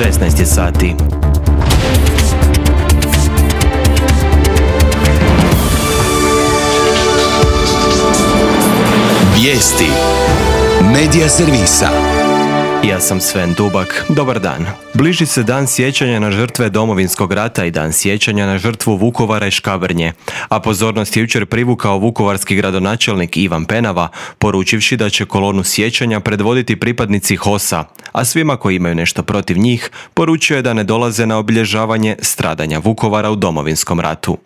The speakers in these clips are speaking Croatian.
16 je sati. Vijesti Medija servisa. Ja sam Sven Dubak. Dobar dan. Bliži se dan sjećanja na žrtve Domovinskog rata i dan sjećanja na žrtvu Vukovara i Škabrnje, a pozornost je jučer privukao vukovarski gradonačelnik Ivan Penava, poručivši da će kolonu sjećanja predvoditi pripadnici HOS-a, a svima koji imaju nešto protiv njih poručio je da ne dolaze na obilježavanje stradanja Vukovara u Domovinskom ratu.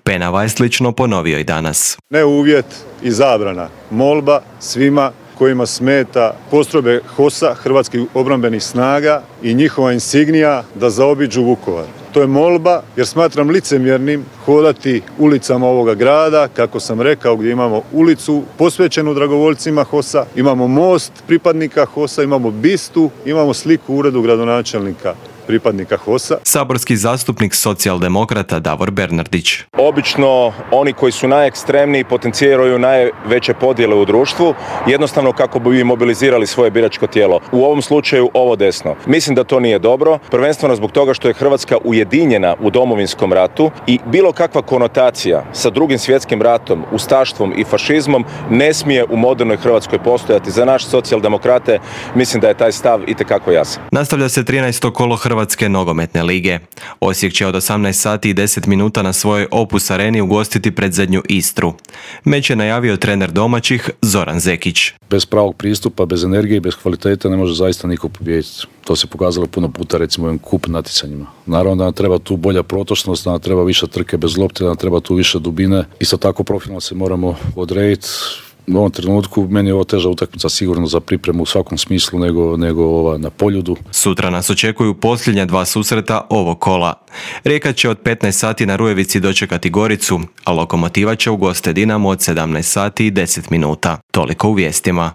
Penava je slično ponovio i danas. Ne uvjet i zabrana, molba svima kojima smeta postrojbe HOS-a, Hrvatskih obrambenih snaga i njihova insignija da zaobiđu Vukovar. To je molba jer smatram licemjernim hodati ulicama ovoga grada, kako sam rekao, gdje imamo ulicu posvećenu dragovoljcima HOS-a, imamo most pripadnika HOS-a, imamo bistu, imamo sliku u uredu gradonačelnika pripadnika HOS-a. Saborski zastupnik socijaldemokrata Davor Bernardić. Obično oni koji su najekstremniji potenciraju najveće podjele u društvu, jednostavno kako bi mobilizirali svoje biračko tijelo. U ovom slučaju ovo desno. Mislim da to nije dobro, prvenstveno zbog toga što je Hrvatska ujedinjena u Domovinskom ratu i bilo kakva konotacija sa Drugim svjetskim ratom, ustaštvom i fašizmom ne smije u modernoj Hrvatskoj postojati. Za naš socijaldemokrate mislim da je taj stav itekako jasan. Nastavlja se 13. kolo Hrvatske nogometne lige. Osijek će od 18 sati i 10 minuta na svojoj Opus areni ugostiti predzadnju Istru. Meč je najavio trener domaćih Zoran Zekić. Bez pravog pristupa, bez energije i bez kvalitete ne može zaista niko pobijediti. To se pokazalo puno puta recimo u ovim kup natjecanjima. Naravno da nam treba tu bolja protočnost, da nam treba više trke bez lopte, da nam treba tu više dubine. Isto tako profilno se moramo odrediti. U ovom trenutku meni je ovo teža utakmica sigurno za pripremu u svakom smislu nego ova na Poljudu. Sutra nas očekuju posljednja dva susreta ovog kola. Rijeka će od 15 sati na Rujevici dočekati Goricu, a Lokomotiva će ugoste Dinamo od 17 sati i 10 minuta. Toliko u vijestima.